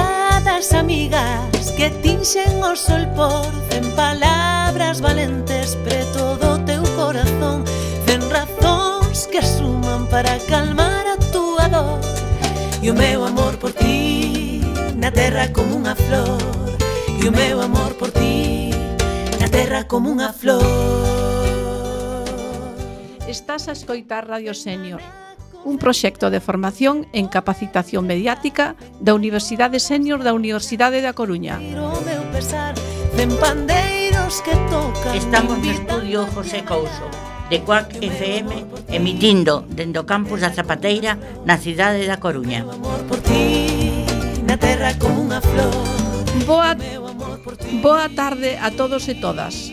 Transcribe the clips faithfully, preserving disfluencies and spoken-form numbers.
miradas amigas que tinxen o sol por cen palabras valentes preto do teu corazón, cen razóns que suman para calmar a túa dor. E o meu amor por ti na terra como unha flor, e o meu amor por ti na terra como unha flor. Estás a escoitar Radio Sénior, un proxecto de formación en capacitación mediática da Universidade Sénior da Universidade da Coruña. Estamos no estudio José Couso, de Cuac F M, emitindo dende o campus da Zapateira na cidade da Coruña. Boa, boa tarde a todos e todas.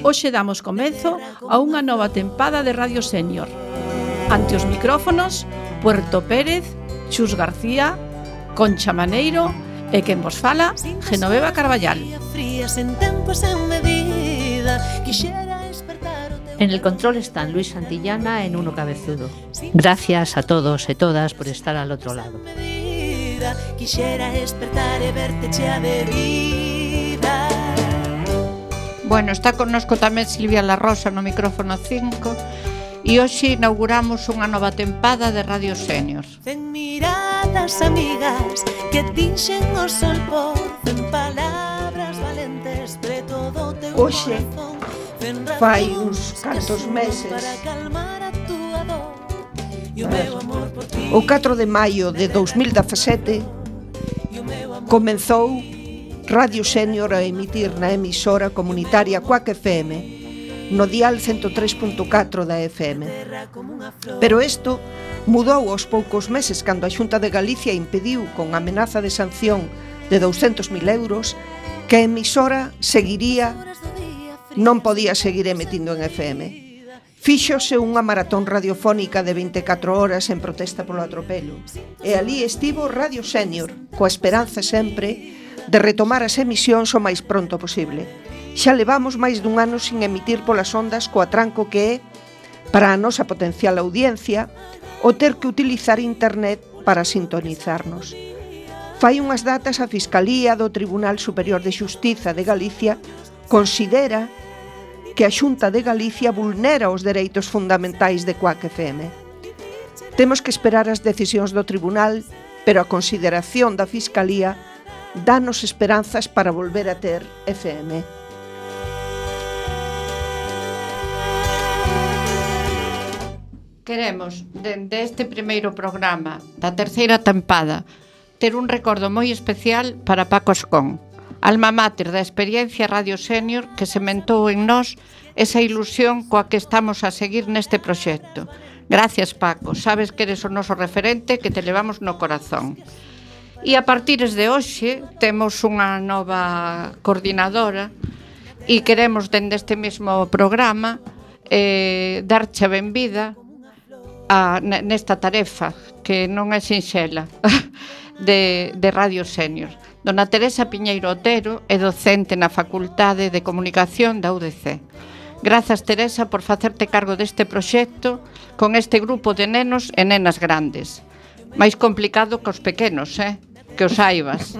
Hoxe damos comezo a unha nova tempada de Radio Sénior. Ante os micrófonos, Puerto Pérez, Chus García, Concha Maneiro e quen vos fala, Genoveva Carballal. En el control están Luis Santillana e Nuno Cabezudo. Gracias a todos e todas por estar al otro lado. Bueno, está connosco tamén Silvia La Rosa no micrófono cinco e hoxe inauguramos unha nova tempada de Radio Sénior. Cen miradas amigas que tinxen o sol por cen palabras valentes preto do teu hoxe fai uns cantos meses, o catro de maio de dous mil dezasete, comenzou Radio Sénior a emitir na emisora comunitaria Cuac F M no dial ciento tres punto catro da F M. Pero isto mudou aos poucos meses cando a Xunta de Galicia impediu, con amenaza de sanción de douscentos mil euros, que a emisora seguiría, non podía seguir emitindo en F M. Fíxose unha maratón radiofónica de vinte e catro horas en protesta polo atropelo. E ali estivo Radio Sénior, coa esperanza sempre de retomar as emisións o máis pronto posible. Xa levamos máis dun ano sin emitir polas ondas co atranco que é, para a nosa potencial audiencia, o ter que utilizar internet para sintonizarnos. Fai unhas datas a Fiscalía do Tribunal Superior de Xustiza de Galicia considera que a Xunta de Galicia vulnera os dereitos fundamentais de Cuac F M. Temos que esperar as decisións do Tribunal, pero a consideración da Fiscalía danos esperanzas para volver a ter F M. Queremos, dende este primeiro programa da terceira tempada, ter un recordo moi especial para Paco Ascón, alma máter da experiencia Radio Sénior que sementou en nós esa ilusión coa que estamos a seguir neste proxecto. Gracias, Paco, sabes que eres o noso referente que te levamos no corazón. E a partir de hoxe temos unha nova coordinadora e queremos dende este mesmo programa eh, darche a benvida a, nesta tarefa que non é sinxela de, de Radio Sénior. Dona Teresa Piñeiro Otero é docente na Facultade de Comunicación da U D C. Grazas, Teresa, por facerte cargo deste proxecto con este grupo de nenos e nenas grandes. Máis complicado que os pequenos, eh? Que os saibas.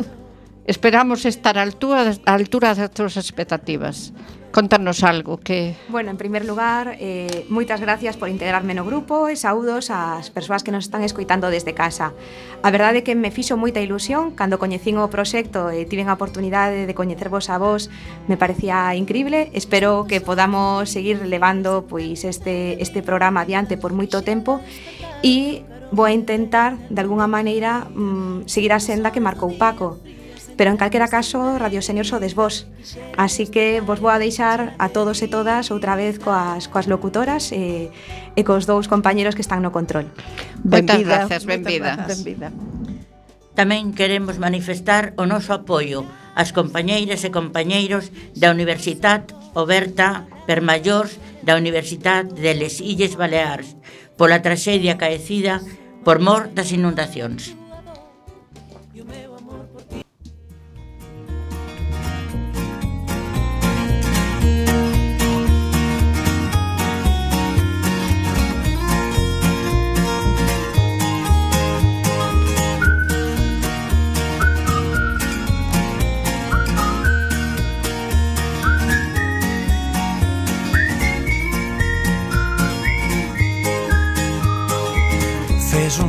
Esperamos estar a altura, a altura das túas expectativas. Contanos algo que... Bueno, en primer lugar, eh, moitas gracias por integrarme no grupo e saúdos ás persoas que nos están escoitando desde casa. A verdade é que me fixo moita ilusión cando coñecín o proxecto e tiven a oportunidade de coñecervos a vos, me parecía increíble. Espero que podamos seguir levando pois este, este programa adiante por moito tempo e vou a intentar, de alguna maneira, mmm, seguir a senda que marcou Paco. Pero en calquera caso, Radio Sénior sodes vos. Así que vos vou a deixar a todos e todas outra vez coas, coas locutoras e, e cos dous compañeros que están no control. Moitas gracias, benvida. benvida. Tamén queremos manifestar o noso apoio ás compañeiras e compañeiros da Universitat Oberta Permallors da Universitat de les Illes Baleares pola traxedia acaecida por mor das inundacións.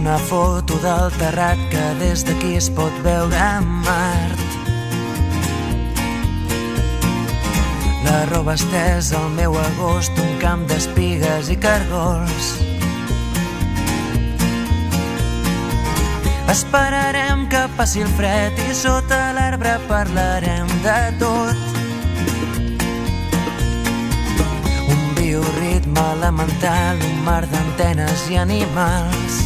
una foto del terrat que des d'aquí es pot veure a Mart. La roba estesa al meu agost, un camp d'espigues i cargols. Esperarem que passi el fred i sota l'arbre parlarem de tot. Un bioritme elemental, un mar d'antenes i animals.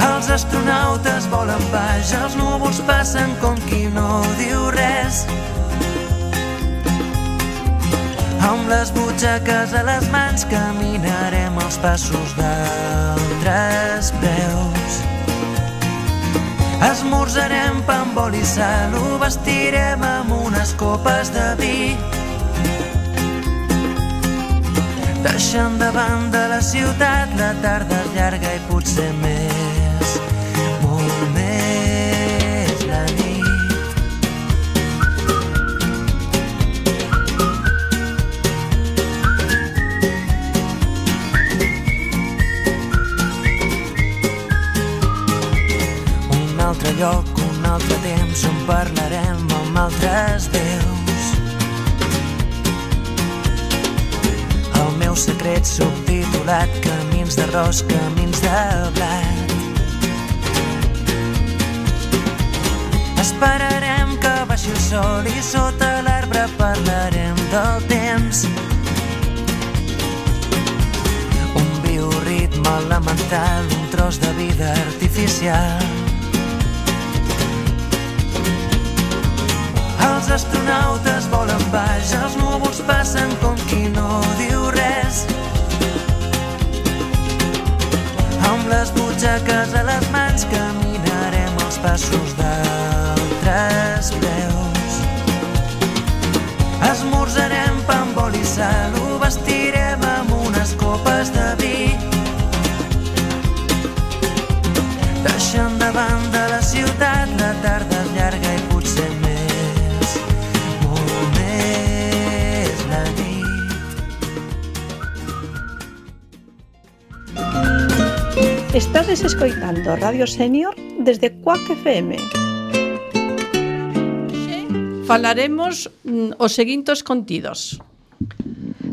Els astronautes volen baix, els núvols passen com qui no diu res. Amb les butxaques a les mans caminarem els passos d'altres peus. Esmorzarem pa amb oli i sal, ho vestirem amb unes copes de vi. Deixant de banda la ciutat, la tarda és llarga i potser més, molt més la nit. Un altre lloc, un altre temps on parlarem amb altres déus. El meu secret subtitulat, camins d'arròs, camins de blat. Esperarem que baixi el sol i sota l'arbre parlarem del temps. Un bioritme elemental, un tros de vida artificial. Els astronautes volen baix, els núvols passen com qui no diu res. Amb les butxaques a les mans caminarem els passos d'altres peus. Esmorzarem pa amb oli i sal, ho vestirem amb unes copes de vi. Deixant de banda la ciutat, la tarda és llarga i potser més. Estades escoitando Radio Senior desde Cuac F M. Falaremos mm, os seguintes contidos.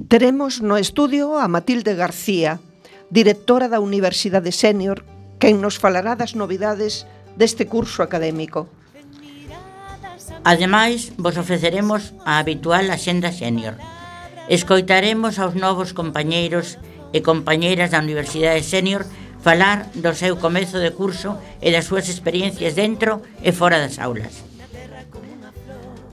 Teremos no estudio a Matilde García, directora da Universidade Senior, quen nos falará das novidades deste curso académico. Ademais, vos ofreceremos a habitual Axenda Senior. Escoitaremos aos novos compañeiros e compañeiras da Universidade Senior falar do seu comezo de curso e das súas experiencias dentro e fora das aulas.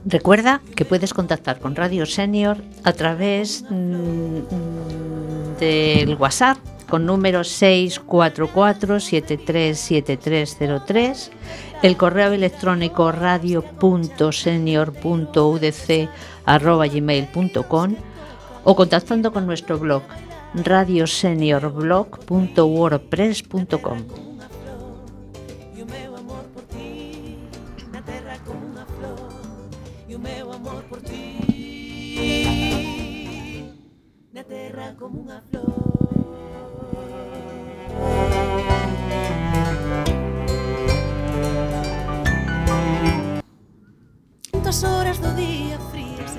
Recuerda que puedes contactar con Radio Senior a través mmm, del WhatsApp con número seis cuatro cuatro siete tres siete tres cero tres, el correo electrónico radio punto senior punto u d c arroba gmail punto com o contactando con nuestro blog radio senior blog punto wordpress punto com. Tantas horas do día frías.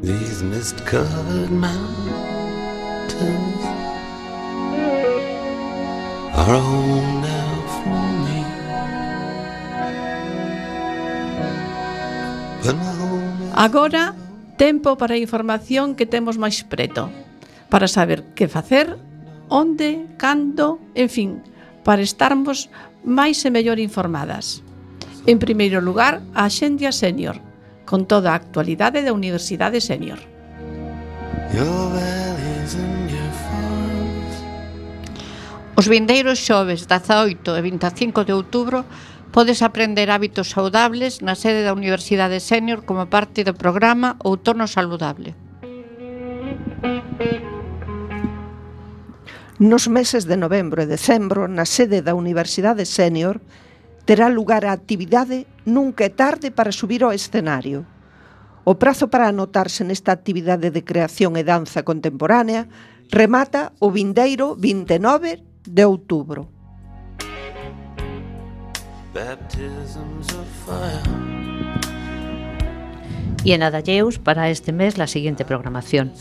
These mist-covered mountains are home now for me. But my home is... Agora, tempo para a información que temos máis preto, para saber que facer, onde, cando, en fin, para estarmos máis e mellor informadas. En primeiro lugar, a Axenda Senior, con toda a actualidade da Universidade Senior. Os vindeiros xoves dezaoito e vinte e cinco de outubro podes aprender hábitos saudables na sede da Universidade Sénior como parte do programa Outono Saludable. Nos meses de novembro e decembro, na sede da Universidade Sénior, terá lugar a actividade Nunca é tarde para subir ao escenario. O prazo para anotarse nesta actividade de creación e danza contemporánea remata o vindeiro vinte e nove de outubro. Y en Adalleus, para este mes, la siguiente programación.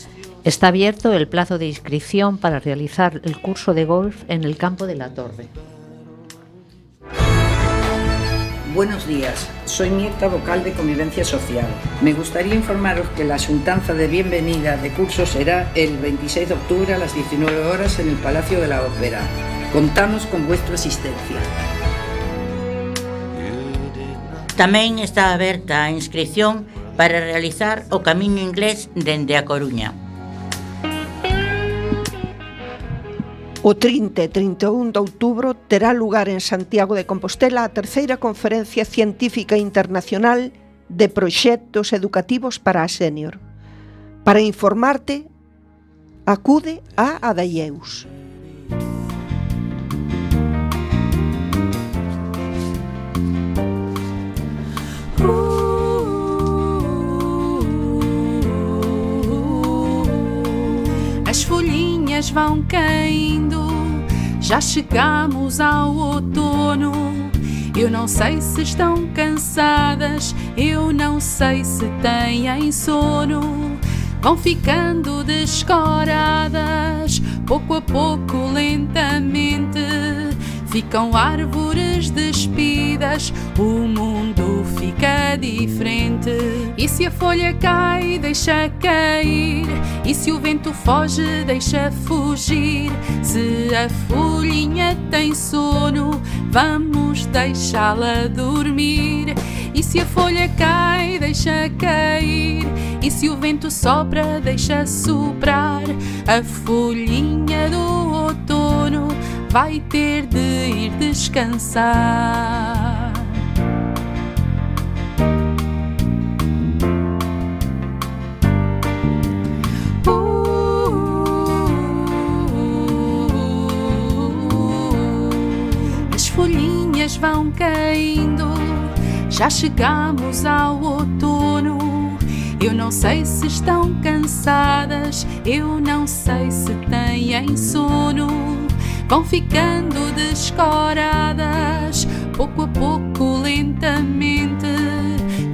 Está abierto el plazo de inscripción para realizar el curso de golf en el campo de la Torre. Buenos días, soy Mirta, vocal de Convivencia Social. Me gustaría informaros que la asuntanza de bienvenida de curso será el veintiséis de octubre a las diecinueve horas en el Palacio de la Ópera. Contamos con vuestra asistencia. Tamén está aberta a inscripción para realizar o Camiño Inglés dende A Coruña. O trinta e trinta e un de outubro terá lugar en Santiago de Compostela a terceira Conferencia Científica Internacional de Proxectos Educativos para a Sénior. Para informarte, acude a Adalleus. As folhinhas vão caindo, já chegamos ao outono. Eu não sei se estão cansadas, eu não sei se têm sono. Vão ficando descoradas, pouco a pouco, lentamente. Ficam árvores despidas, o mundo fica diferente. E se a folha cai, deixa cair. E se o vento foge, deixa fugir. Se a folhinha tem sono, vamos deixá-la dormir. E se a folha cai, deixa cair. E se o vento sopra, deixa soprar. A folhinha do outono vai ter de ir descansar. As folhinhas vão caindo, já chegamos ao outono. Eu não sei se estão cansadas, eu não sei se têm sono. Vão ficando descoradas, pouco a pouco, lentamente.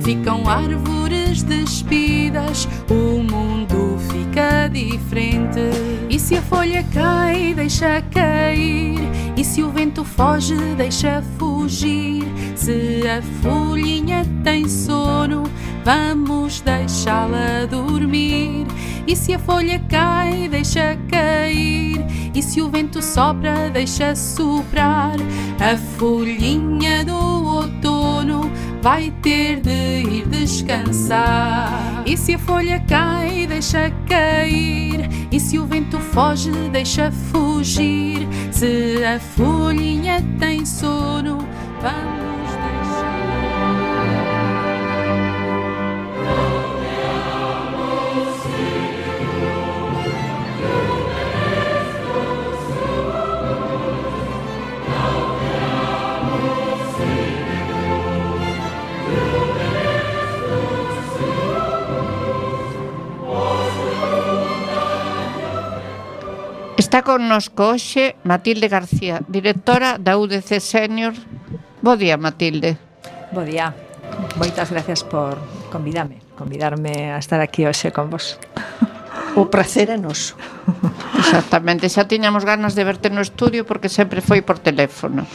Ficam árvores despidas, o mundo fica diferente. E se a folha cai, deixa cair. E se o vento foge, deixa fugir. Se a folhinha tem sono, vamos deixá-la dormir. E se a folha cai, deixa cair. E se o vento sopra, deixa soprar. A folhinha do outono vai ter de ir descansar. E se a folha cai, deixa cair. E se o vento foge, deixa fugir. Se a folhinha tem sono, vamos Está connosco hoxe Matilde García, directora da U D C Sénior. Bo día, Matilde. Bo día. Moitas gracias por convidarme, convidarme a estar aquí hoxe con vos. O prazer é noso. Exactamente, xa tiñamos ganas de verte no estudio porque sempre foi por teléfono.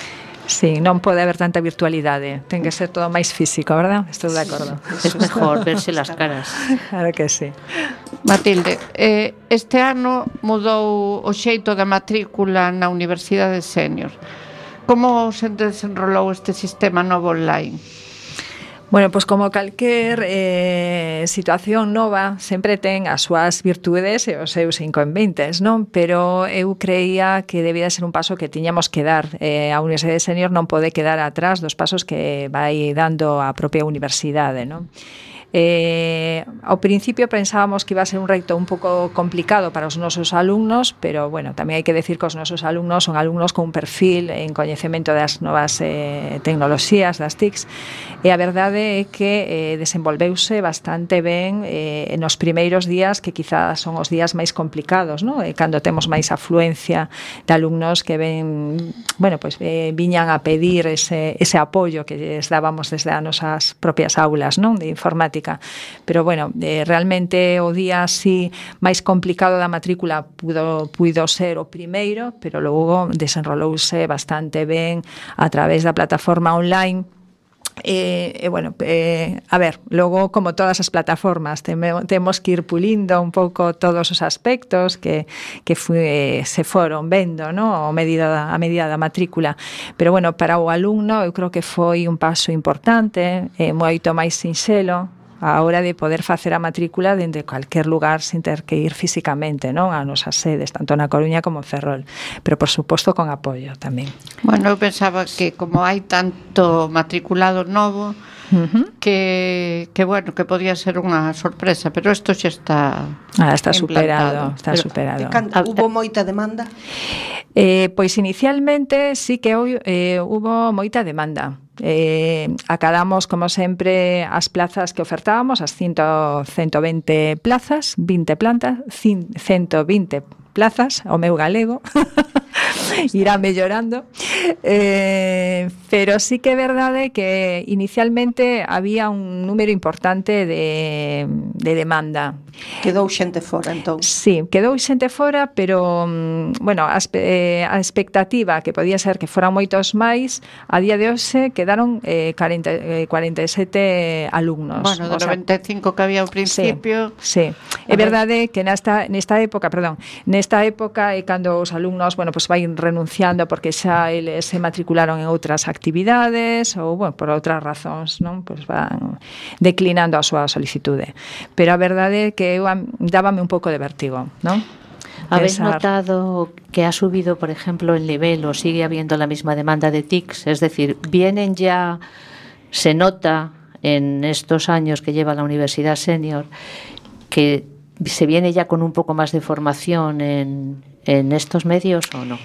Sí, non pode haber tanta virtualidade. Ten que ser todo máis físico, verdad? Estou de acordo. Es mejor verse las caras. Claro que sí. Matilde, eh, este ano mudou o xeito da matrícula na Universidade Sénior. Como se desenrolou este sistema novo online? Bueno, pois como calquer eh, situación nova sempre ten as súas virtudes e os seus inconvenientes, non? Pero eu creía que debía ser un paso que tiñamos que dar. Eh, a Universidade Senior non pode quedar atrás dos pasos que vai dando a propia universidade, non? Eh, ao principio pensábamos que iba a ser un reto un pouco complicado para os nosos alumnos, pero bueno, tamén hai que decir que os nosos alumnos son alumnos con un perfil en coñecemento das novas eh, tecnoloxías, das T I Cs, e a verdade é que eh, desenvolveuse bastante ben eh, nos primeiros días, que quizás son os días máis complicados, ¿no? E cando temos máis afluencia de alumnos que ven, bueno, pues, eh, viñan a pedir ese, ese apoio que les dábamos desde as nosas propias aulas, ¿no? De informática. Pero bueno, eh, realmente o día así máis complicado da matrícula pudo, pudo ser o primeiro, pero logo desenrolouse bastante ben a través da plataforma online. E, e bueno, eh, a ver, logo como todas as plataformas teme, temos que ir pulindo un pouco todos os aspectos que, que fue, se foron vendo, ¿no? a, medida, a medida da matrícula, pero bueno, para o alumno eu creo que foi un paso importante, eh, moito máis sinxelo a hora de poder facer a matrícula dende cualquier lugar sin ter que ir físicamente, non? A nosas sedes, tanto na Coruña como en Ferrol, pero por suposto con apoio tamén. Bueno, eu pensaba que como hai tanto matriculado novo, uh-huh. que, que bueno, que podía ser unha sorpresa, pero isto xa está ah, está superado, está pero, superado. Canto, hubo moita demanda? Eh, pois inicialmente sí que eh, hubo moita demanda. Eh, acadamos, como sempre, as plazas que ofertábamos, as ciento vinte plazas, vinte plantas, ciento vinte plazas, o meu galego, irá mellorando, eh, pero sí que é verdade que inicialmente había un número importante de, de demanda. Quedou xente fora, entón? Sí, quedou xente fora, pero, bueno, a, eh, a expectativa que podía ser que foran moitos máis, a día de hoxe quedaron eh, cuarenta e sete alumnos. Bueno, do noventa e cinco que había ao principio. Sí, sí. É verdade que nesta, nesta época, perdón, nesta época é cando os alumnos, bueno, pues vai renunciando porque xa eles se matricularon en outras actividades ou, bueno, por outras razóns, non? Pues van declinando a súa solicitude. Pero a verdade é que eu dábame un pouco de vértigo, non? ¿Habéis notado que ha subido, por ejemplo, el nivel o sigue habiendo la misma demanda de T I Cs? Es decir, vienen ya, se nota en estos años que lleva la Universidad Senior que se viene ya con un poco más de formación en, en estos medios o no?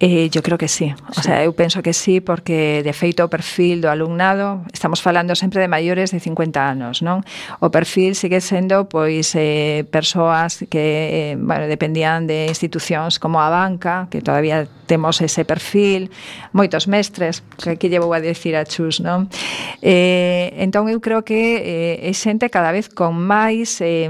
Eh, yo creo que sí. O sí. sea, eu penso que sí, porque de feito o perfil do alumnado, estamos falando sempre de maiores de cincuenta anos, non? O perfil sigue sendo, pois, eh, persoas que, eh, bueno, dependían de institucións como a banca, que todavía temos ese perfil, moitos mestres, que aquí llevo a decir a Chus, non? Eh, entón, eu creo que eh, é xente cada vez con máis eh,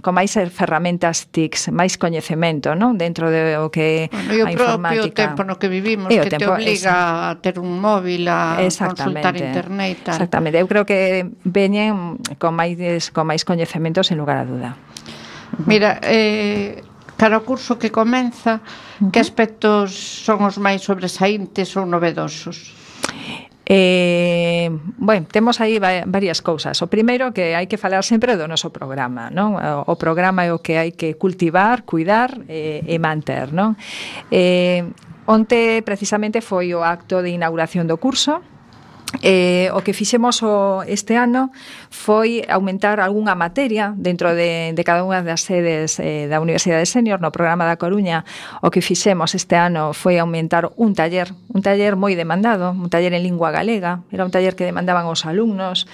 con máis ferramentas T I C S, máis coñecemento, non? Dentro de o que bueno, a informática. Tempo no que vivimos, que te obliga a ter un móvil, a consultar internet e tal. Exactamente, eu creo que veñen con máis, con máis coñecementos sen lugar a duda. Mira, eh, cara ao curso que comeza, uh-huh. que aspectos son os máis sobresaíntes ou novedosos? Eh, bueno, temos aí varias cousas. O primeiro que hai que falar sempre do noso programa, non? O programa é o que hai que cultivar, cuidar e, e manter, non? Eh, onte precisamente foi o acto de inauguración do curso. Eh, o que fixemos o, este ano foi aumentar algunha materia dentro de, de cada unha das sedes eh, da Universidade Senior no programa da Coruña. O que fixemos este ano foi aumentar un taller, un taller moi demandado, un taller en lingua galega, era un taller que demandaban os alumnos,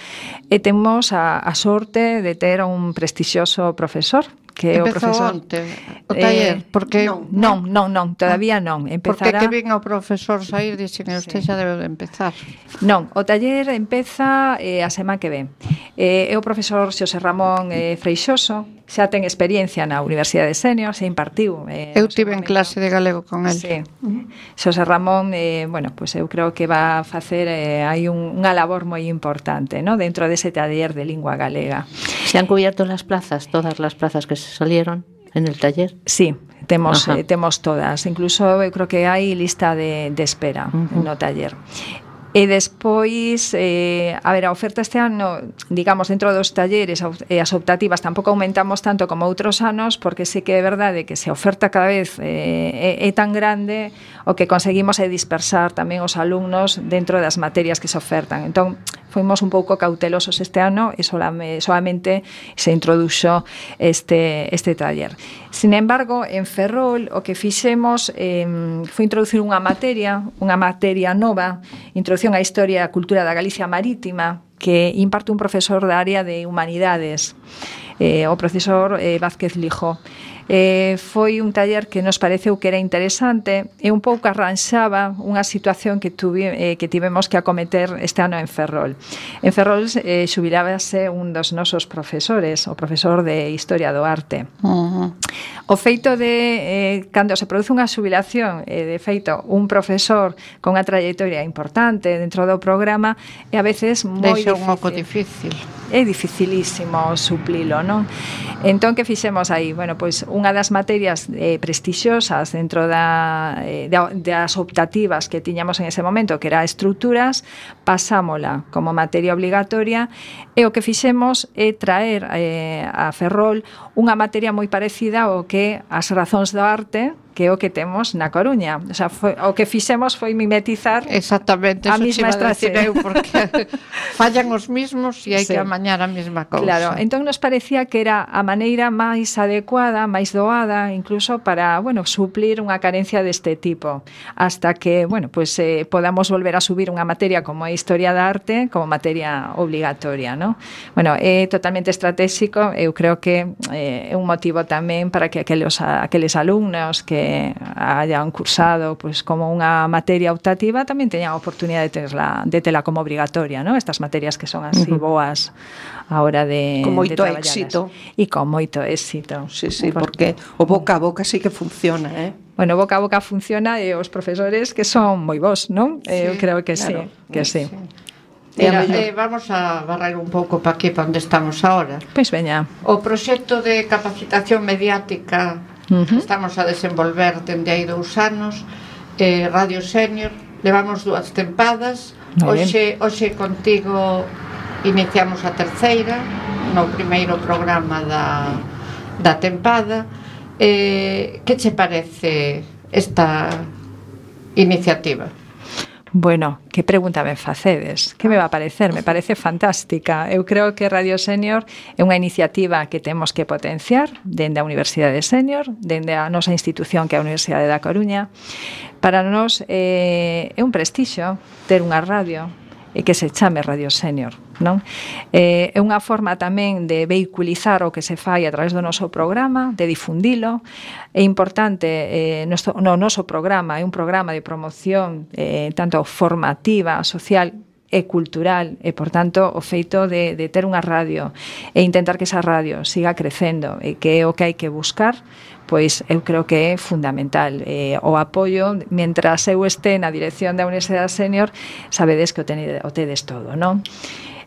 e temos a, a sorte de ter un prestixioso profesor que Empezou o profesor onte o taller, eh, porque non, non, non, non, todavía non, empezará. Porque que vin ao profesor sair dixen, usted xa debe de empezar. Non, o taller empeza eh, a semana que ven. Eh, é o profesor Xosé Ramón eh, Freixoso, xa ten experiencia na Universidade Senior, se impartiu. Eh, eu tive en clase de galego con el. Sí. Xosé Ramón, eh, bueno, pues eu creo que va a facer, eh, hai un, unha labor moi importante, ¿no? Dentro dese taller de lingua galega. ¿Se han cubierto las plazas, todas las plazas que se salieron en el taller? Sí, temos, eh, temos todas. Incluso eu creo que hai lista de, de espera uh-huh. no taller. E despois, eh, a ver, a oferta este ano, digamos, dentro dos talleres e as optativas tampouco aumentamos tanto como outros anos, porque sí que é verdade que se a oferta cada vez eh, é, é tan grande, o que conseguimos é dispersar tamén os alumnos dentro das materias que se ofertan. Entón, fuimos un pouco cautelosos este ano e solamente, solamente se introduxo este, este taller. Sin embargo, en Ferrol o que fixemos eh, foi introducir unha materia, unha materia nova, introducción á historia e a cultura da Galicia Marítima, que imparte un profesor da área de Humanidades, eh, o profesor eh, Vázquez Lijo. Eh, foi un taller que nos pareceu que era interesante e un pouco arranxaba unha situación que, tuvi, eh, que tivemos que acometer este ano en Ferrol. En Ferrol eh, xubilábase un dos nosos profesores, o profesor de Historia do Arte. Uh-huh. O feito de, eh, cando se produce unha xubilación, eh, de feito, un profesor con unha trayectoria importante dentro do programa, é a veces moi Deixa difícil. un pouco difícil. É dificilísimo suplilo, non? Entón, que fixemos aí? Bueno, pois unha das materias eh, prestixiosas dentro da, eh, das optativas que tiñamos en ese momento, que era estruturas, pasámola como materia obligatoria, e o que fixemos é traer eh, a Ferrol unha materia moi parecida ao que as razóns do arte, que é o que temos na Coruña. O sea, foi, o que fixemos foi mimetizar exactamente a mesma estrategia, porque fallan os mismos e hai sí. que amañar a mesma cousa. Claro, entón nos parecía que era a maneira máis adecuada, máis doada, incluso para, bueno, suplir unha carencia deste tipo, hasta que, bueno, pues eh, podamos volver a subir unha materia como a Historia da Arte como materia obligatoria, ¿no? Bueno, é totalmente estratégico, eu creo que eh, é un motivo tamén para que aqueles, aqueles alumnos que hayan cursado pues como unha materia optativa tamén teñan a oportunidade de terla, de tela como obrigatoria, ¿no? Estas materias que son así uh-huh. boas a hora de, con moito de éxito. E con moito éxito. Sí, sí, porque o boca a boca sí que funciona, eh? Bueno, boca a boca funciona e os profesores que son moi bons, non? Sí, eu creo que claro, sí, que sí. sí. Mira, eh, vamos a barrer un pouco para aquí, para onde estamos ahora. Pois veña. O proxecto de capacitación mediática uh-huh. estamos a desenvolver dende hai dous anos, eh, Radio Senior, levamos dúas tempadas, hoxe, hoxe contigo iniciamos a terceira, no primeiro programa da, da tempada. Eh, que che parece esta iniciativa? Bueno, que pregunta me facedes? Que me va a parecer? Me parece fantástica. Eu creo que Radio Senior é unha iniciativa que temos que potenciar dende a Universidade Senior, dende a nosa institución que é a Universidade da Coruña. Para nós eh, é un prestixio ter unha radio e que se chame Radio Senior, non? Eh, é unha forma tamén de vehiculizar o que se fai a través do noso programa, de difundilo. É importante, eh, noso, no noso programa é un programa de promoción eh, tanto formativa, social e cultural, e, por tanto, o feito de, de ter unha radio e intentar que esa radio siga crecendo e que é o que hai que buscar, pois eu creo que é fundamental. Eh, o apoio, mentras eu este na dirección da Universidade Senior, sabedes que o, tenedes, o tedes todo, non?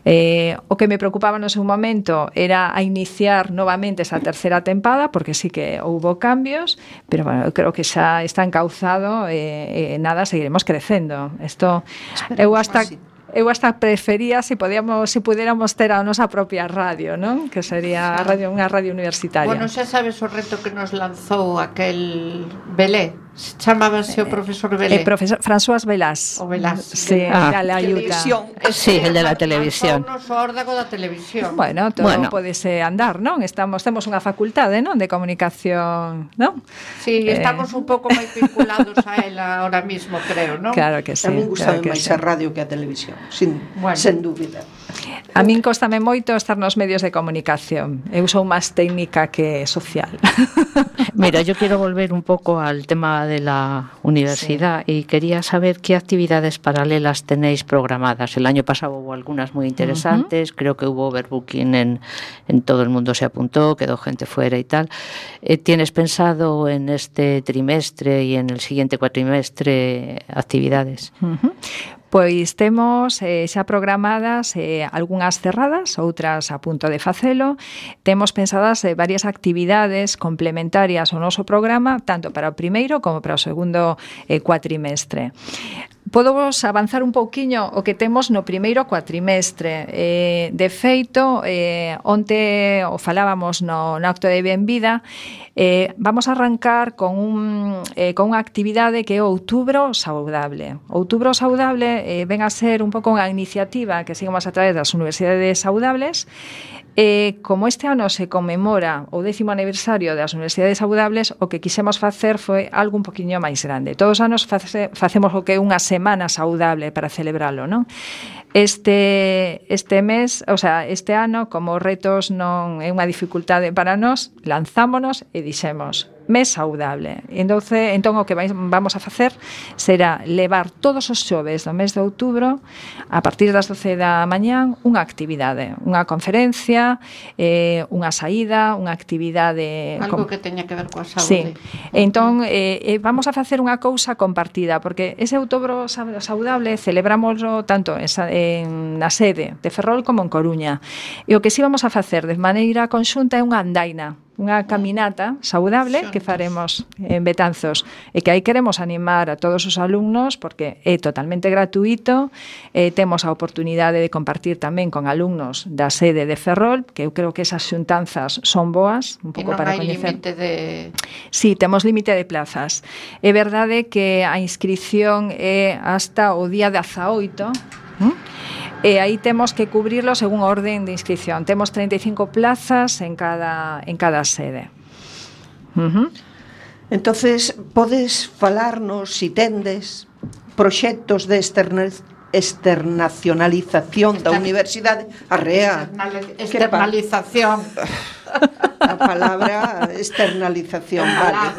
Eh, o que me preocupaba no seu momento era a iniciar novamente esa terceira tempada, porque sí que houbo cambios, pero bueno, eu creo que xa está encauzado e eh, eh, nada, seguiremos crecendo. Isto, eu hasta... Eu hasta prefería se podíamos, se pudiéramos ter a nosa propia radio, non? Que sería a radio, unha radio universitaria. Bueno, xa sabes o reto que nos lanzou aquel Belé. Chamábase o profesor Belé. El profesor François Velás. O Velás. Sí, ah. la ayuda. Sí, el de la televisión. Nos o órdago da televisión. Bueno, todo bueno. podese andar, non? Estamos temos unha facultade, non, de comunicación, non? Sí, eh... estamos un pouco máis vinculados a ela ahora mismo, creo, non? Claro que sí. A mí gusta claro máis sí. a radio que a televisión, sin, bueno. sen dúbida. A min cóstame moito estar nos medios de comunicación. Eu sou máis técnica que social. Mira, yo quiero volver un poco al tema de la universidad sí. y quería saber qué actividades paralelas tenéis programadas. El año pasado hubo algunas muy interesantes, uh-huh. creo que hubo overbooking en, en todo el mundo, se apuntó, quedó gente fuera y tal. Eh, ¿Tienes pensado en este trimestre y en el siguiente cuatrimestre actividades? Uh-huh. Pois temos eh, xa programadas eh, algunhas cerradas, outras a punto de facelo. Temos pensadas eh, varias actividades complementarias ao noso programa, tanto para o primeiro como para o segundo eh, cuatrimestre. Podo vos avanzar un pouquiño o que temos no primeiro cuatrimestre. Eh, de feito, eh, onte o falábamos no, no acto de benvida, eh, vamos a arrancar con, un, eh, con unha actividade que é o Outubro Saudable. O Outubro Saudable eh, ven a ser un pouco unha iniciativa que seguimos a través das Universidades Saudables. Eh, como este ano se conmemora o décimo aniversario das Universidades Saudables, o que quixemos facer foi algo un poquinho máis grande. Todos os anos face, facemos o que é unha semana saudable para celebralo, non? Este, este mes, o sea, este ano, como retos non é unha dificultade para nós, lanzámonos e dixemos mes saudable. Entón, entón o que vais, vamos a facer será levar todos os xoves do mes de outubro, a partir das doce da mañán, unha actividade, unha conferencia, eh, unha saída, unha actividade... Algo con... que teña que ver coa saúde. Sí. Entón, eh, eh, vamos a facer unha cousa compartida, porque ese outubro saudable celebrámoslo tanto en, en na sede de Ferrol como en Coruña. E o que sí vamos a facer de maneira conxunta é unha andaina, unha caminata saudable que faremos en Betanzos e que aí queremos animar a todos os alumnos porque é totalmente gratuito, eh, temos a oportunidade de compartir tamén con alumnos da sede de Ferrol, que eu creo que esas xuntanzas son boas, un pouco para coñecer. E non hai límite de... Sí, temos límite de plazas. É verdade que a inscripción é hasta o día dezaoito, ¿Mm? E aí temos que cubrirlo según orden de inscripción. Temos treinta e cinco plazas en cada, en cada sede. Uh-huh. Entonces, podes falarnos, si tendes, proxectos de externa- externacionalización da universidade arrea. Externalización. A palabra externalización, vale.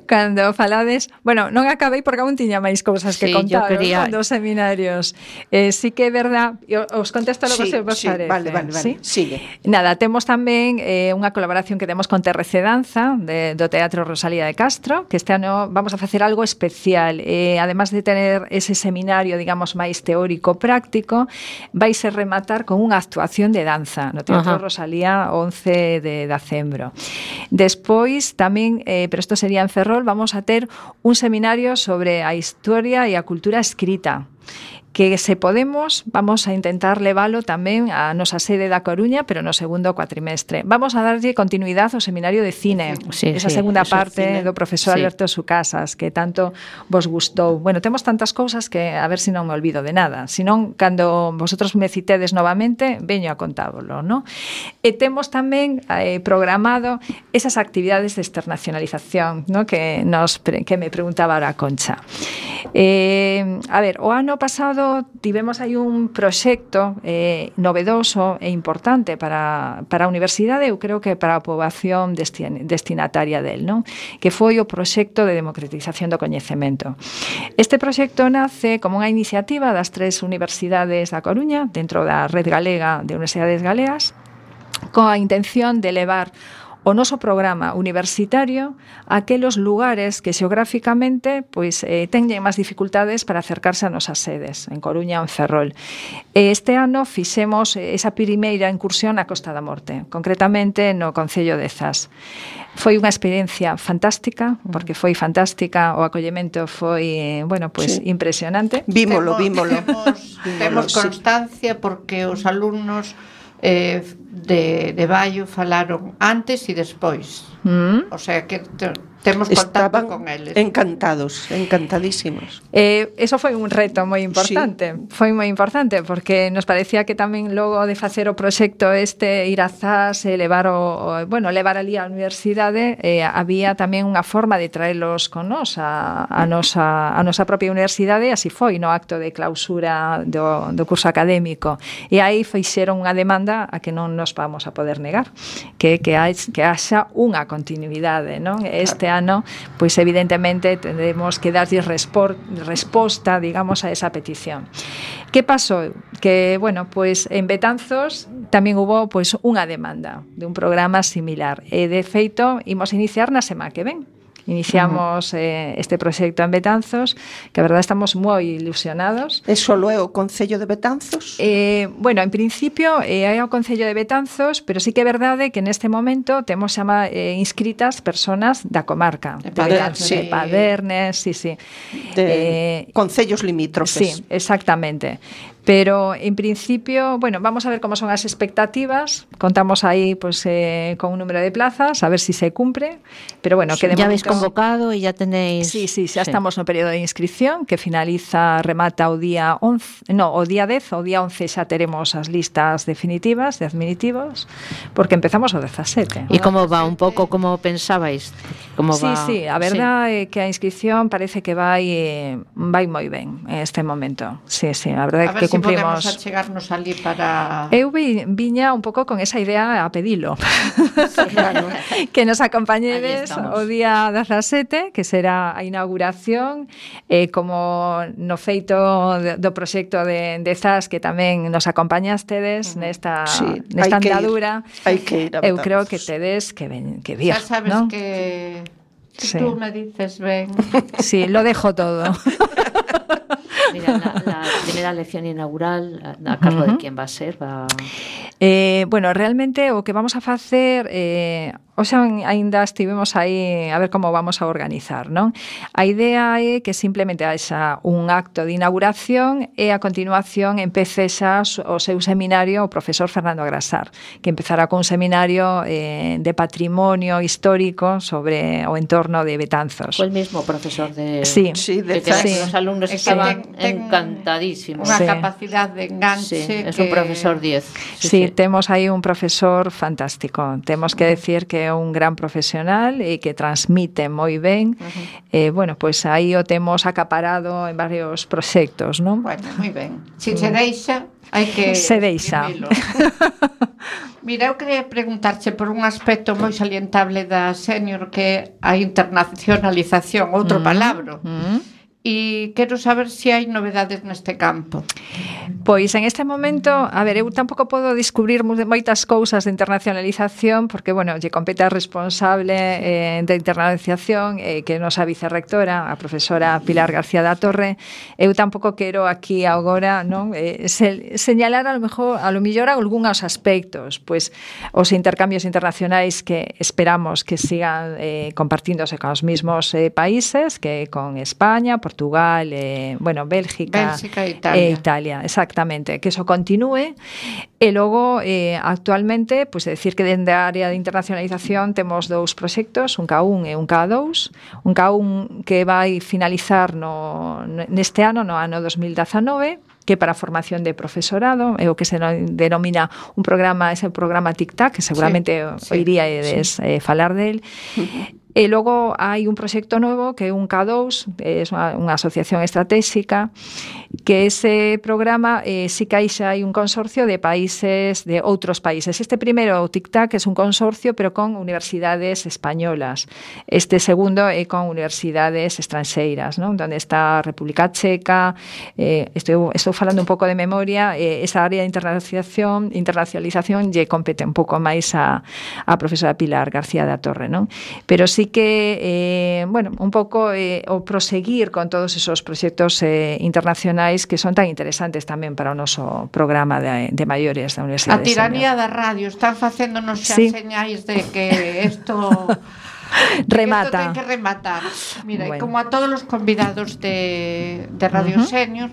Cando falades, bueno, non acabei porque aún tiña máis cousas que Sí, contar quería... dos seminarios. Eh, sí que é verdad, eu os contesto logo Sí, se vos sí, parece. vale, vale, vale. ¿Sí? Sigue. Nada, temos tamén eh, unha colaboración que temos con T R C Danza de, do Teatro Rosalía de Castro, que este ano vamos a facer algo especial. Eh, además de tener ese seminario, digamos, máis teórico práctico, vais a rematar con unha actuación de danza no Teatro Ajá. Rosalía once de decembro. Despois tamén, eh, pero isto sería en Ferrol, vamos a ter un seminario sobre a historia e a cultura escrita, que se podemos, vamos a intentar leválo tamén a nosa sede da Coruña, pero no segundo cuatrimestre. Vamos a darlle continuidade ao seminario de cine, Sí, esa sí, segunda eso parte cine. do profesor Sí. Alberto Sucasas, que tanto vos gustou. Bueno, temos tantas cousas que a ver se si non me olvido de nada. Senón, cando vosotros me citedes novamente, veño a contábolo, ¿no? E temos tamén eh, programado esas actividades de externacionalización, ¿no? que, nos, que me preguntaba ahora Concha. Eh, a ver, o ano pasado tivemos aí un proxecto eh, novedoso e importante para, para a universidade, eu creo que para a poboación destin, destinataria del, non? Que foi o proxecto de democratización do coñecemento. Este proxecto nace como unha iniciativa das tres universidades da Coruña, dentro da Red Galega de Universidades Galegas, coa intención de levar o noso programa universitario a aqueles lugares que xeográficamente pois, eh, teñen máis dificultades para acercarse a nosas sedes, en Coruña ou en Ferrol. Este ano fixemos esa primeira incursión na Costa da Morte, concretamente no Concello de Zas. Foi unha experiencia fantástica, porque foi fantástica, o acollemento foi, bueno, pues Sí. impresionante. Vímolo, vímolo. Temos, temos sí. constancia porque os alumnos eh, de, de Baio falaron antes e despois. Mm. O sea que te, temos contacto Estaban con eles. encantados, encantadísimos. Eh, eso foi un reto moi importante, sí. foi moi importante porque nos parecía que tamén logo de facer o proxecto este ir a Zas e levar o, o bueno, levar ali á universidade, eh, había tamén unha forma de traelos con nós a, a nosa a nosa propia universidade, e así foi no acto de clausura do, do curso académico. E aí fixeron unha demanda a que non nos vamos a poder negar, que que, hai, que haxa unha continuidade, non? Este ano, pois evidentemente tendremos que darlle respor, resposta, digamos, a esa petición. Que pasou? Que, bueno, pois en Betanzos tamén hubo pois unha demanda de un programa similar. E de feito, imos iniciar na semana que ven. iniciamos uh -huh. eh, este proxecto en Betanzos, que a verdade estamos moi ilusionados. E solo é o Concello de Betanzos? Eh, bueno, en principio eh, é o Concello de Betanzos, pero sí que é verdade que neste momento temos xa eh, inscritas personas da comarca de, de Betanzos, sí. de Padernes, sí, sí. De eh, concellos limítrofes. Sí, exactamente. Pero en principio, bueno, vamos a ver cómo son las expectativas. Contamos ahí pues eh, con un número de plazas, a ver si se cumple. Pero bueno, que de ya momento... habéis convocado y ya tenéis... Sí, sí, ya sí. Estamos no período de inscripción que finaliza, remata o día once, no, o día dez, o día once xa teremos as listas definitivas de adminitivos, porque empezamos o dezasete. E como va un pouco como pensabais? Como sí, va... sí, a verdade é sí. que a inscripción parece que vai eh, vai moi ben en este momento. Sí, sí, a verdade é que si cumplimos. Podemos achegarnos ali para... Eu vi, viña un pouco con esa idea a pedilo. Sí, claro. Que nos acompañedes o día dezasete, que será a inauguración, eh, como no feito de, do proxecto de, de Zas, que tamén nos acompañastedes uh -huh. nesta, sí, nesta andadura. Hai que ir a Eu creo que tedes que, ven, que vir, xa sabes, ¿no? que, que sí. Tú me dices ven. Sí, lo dejo todo. Mira, la, la primera lección inaugural, a cargo uh -huh. de quién va a ser? Va... Eh, bueno, realmente o que vamos a facer... Eh, O sea, ainda estivemos aí a ver como vamos a organizar, non? A idea é que simplemente haxa un acto de inauguración e a continuación empece xa o seu seminario o profesor Fernando Agrasar, que empezará con un seminario eh, de patrimonio histórico sobre o entorno de Betanzos. Fue el mismo profesor de... Sí, sí, de que sí. Los alumnos es estaban ten, ten encantadísimos. Unha sí. capacidad de enganche sí, que... es un profesor diez. Sí, sí, sí, temos aí un profesor fantástico. Temos que decir que é un gran profesional e que transmite moi ben. Uh-huh. Eh, bueno, pois pues aí o temos acaparado en varios proxectos, non? Bueno, moi ben. Se se deixa, hai que... Se deixa. Mira, eu queria preguntarche por un aspecto moi salientable da Senior, que é a internacionalización, outro mm. palabra. Mm. E quero saber se hai novedades neste campo. Pois en este momento, a ver, eu tampouco podo descubrir moitas cousas de internacionalización, porque, bueno, lle compete a responsable eh, de internacionalización, eh, que é nosa vicerrectora, a profesora Pilar García da Torre. Eu tampouco quero aquí agora, non, eh, se, señalar a lo mejor, a lo mellor algúns aspectos, pois os intercambios internacionais que esperamos que sigan eh, compartíndose con os mesmos eh, países, que con España, por Portugal, eh, bueno, Bélgica, Bélgica e Italia. E Italia, exactamente, que eso continúe. E logo, eh, actualmente, pues decir que dende a área de internacionalización temos dous proxectos, un K un e un K dous. Un K un que vai finalizar no, neste ano, no ano dos mil dezanove, que para a formación de profesorado, é o que se denomina un programa, ese programa Tic-Tac, que seguramente sí, oiría sí, sí. eh, falar del. E logo hai un proxecto novo que é un K dous, é unha, unha asociación estratégica, que ese programa eh, si que hai xa hai un consorcio de países, de outros países. Este primeiro, o Tic-Tac, é un consorcio, pero con universidades españolas. Este segundo é con universidades estranxeiras, non? Donde está a República Checa, eh, estou, estou falando un pouco de memoria, eh, esa área de internacionalización, internacionalización lle compete un pouco máis a, a profesora Pilar García da Torre, non? Pero sí que, eh, bueno, un pouco eh, o proseguir con todos esos proxectos eh, internacionais que son tan interesantes tamén para o noso programa de, de maiores da Universidade. A tiranía da radio están facéndonos xa sí. señais de que isto remata. Que ten que rematar. Mira, bueno. Como a todos os convidados de, de Radio uh -huh. Senior,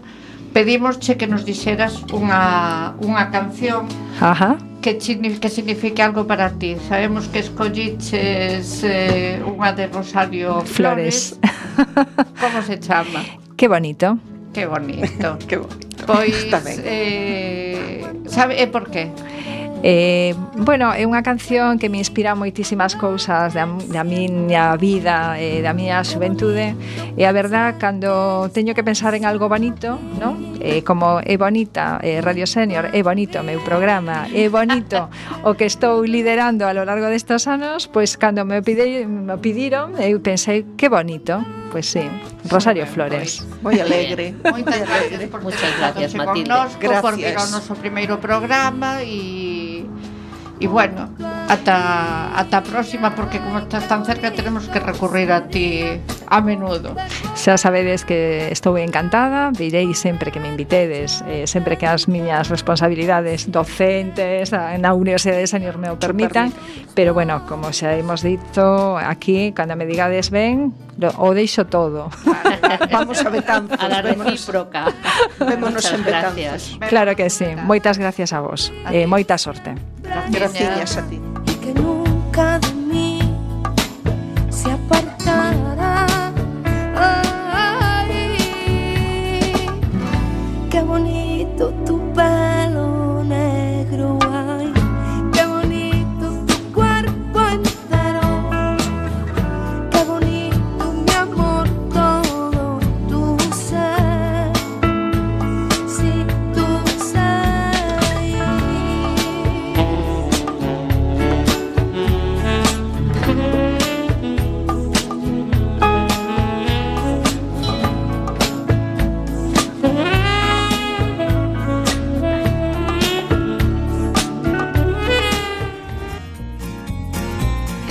pedimosche que nos dixeras unha, unha canción Ajá. Que, que signifique algo para ti. Sabemos que escolliches eh, unha de Rosario Flores. Flores. Como se chama? Que bonito. Que bonito. Que bonito. Pois, eh, sabe, e por qué? Eh, bueno, é unha canción que me inspira moitísimas cousas da, da miña vida e eh, da miña xuventude, e a verdad, cando teño que pensar en algo bonito, non? Eh, como é bonita eh, Radio Senior, é bonito o meu programa, é bonito o que estou liderando a lo largo destes anos, pois cando me, pide, me pediron, eu pensei, que bonito. Pois sí, Rosario Flores. Moi alegre. Moitas gracias por Muchas gracias, Matilde. Connosco, gracias. Porque era o noso primeiro programa e E bueno, ata, ata a próxima, porque como estás tan cerca tenemos que recurrir a ti a menudo. Xa sabedes que estou encantada, virei sempre que me invitedes, eh, sempre que as miñas responsabilidades docentes na Universidade de Senior me o permitan, pero bueno, como xa hemos dito aquí, cando me digades ben, lo, o deixo todo. Vamos a Betanzos. A la recíproca. Vémonos en gracias. Betanzos. Claro que sí, moitas gracias a vos, eh, moita sorte. Gracias a ti. Y que nunca de mí se apartará. Ay, qué bonito tu pelo negro, ay, qué bonito tu cuerpo entero, qué bonito mi amor, todo tu ser, sí, tu ser.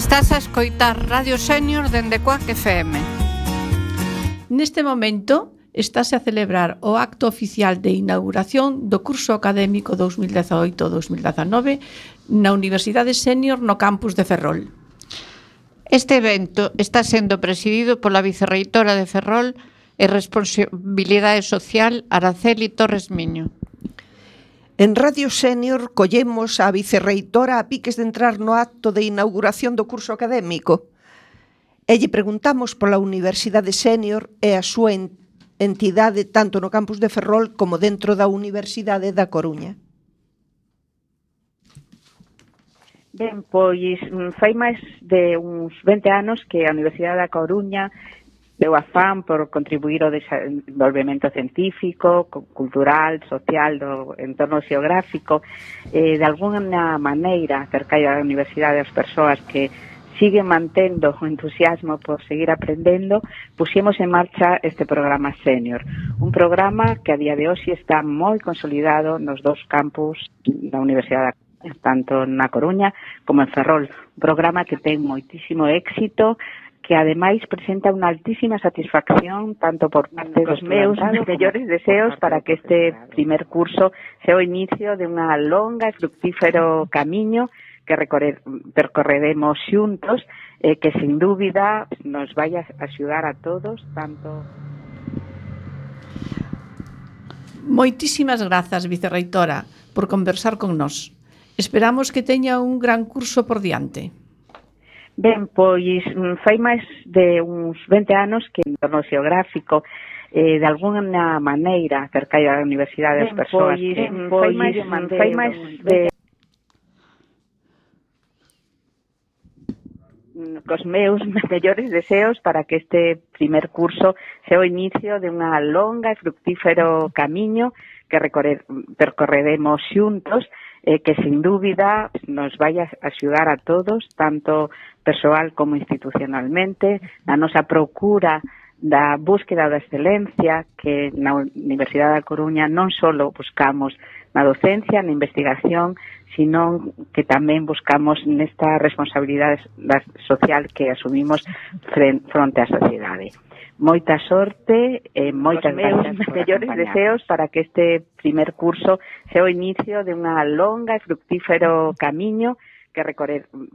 Estás a escoitar Radio Senior dende Quack F M. Neste momento estáse a celebrar o acto oficial de inauguración do curso académico dos mil dezaoito dos mil dezanove na Universidade Senior no campus de Ferrol. Este evento está sendo presidido pola vicerreitora de Ferrol e Responsabilidade Social Araceli Torres Miño. En Radio Senior collemos a vicerreitora a piques de entrar no acto de inauguración do curso académico e lle preguntamos pola Universidade Senior e a súa entidade tanto no campus de Ferrol como dentro da Universidade da Coruña. Ben, pois fai máis de uns vinte anos que a Universidade da Coruña deu afán por contribuir ao desenvolvemento científico, cultural, social do entorno xeográfico, eh, de alguna maneira acercar a universidade as persoas que siguen mantendo o entusiasmo por seguir aprendendo, puxemos en marcha este programa Senior, un programa que a día de hoxe está moi consolidado nos dous campus da Universidade da Coruña, tanto na Coruña como en Ferrol, un programa que ten moitísimo éxito, que ademais presenta unha altísima satisfacción tanto por parte dos meus mellores deseos para que este primer curso sea o inicio de unha longa e fructífero camiño que percorreremos xuntos, eh, que sin dúbida nos vai a axudar a todos, tanto... Moitísimas grazas, vicerreitora, por conversar con nós. Esperamos que teña un gran curso por diante. Ben, pois fai máis de uns vinte anos que en entorno xeográfico eh, de alguna maneira acercar a universidade as persoas pois, que pois, fai máis, fai máis de cos meus mellores deseos para que este primer curso sea o inicio de unha longa e fructífero camiño que percorreremos xuntos, eh, que sin dúbida nos vai a axudar a todos, tanto persoal como institucionalmente, na nosa procura da búsqueda da excelencia que na Universidade da Coruña non só buscamos na docencia, na investigación, sino que tamén buscamos nesta responsabilidade social que asumimos fronte á sociedade. Moita sorte e moitas meus mellores deseos para que este primer curso sea o inicio de unha longa e fructífero camiño que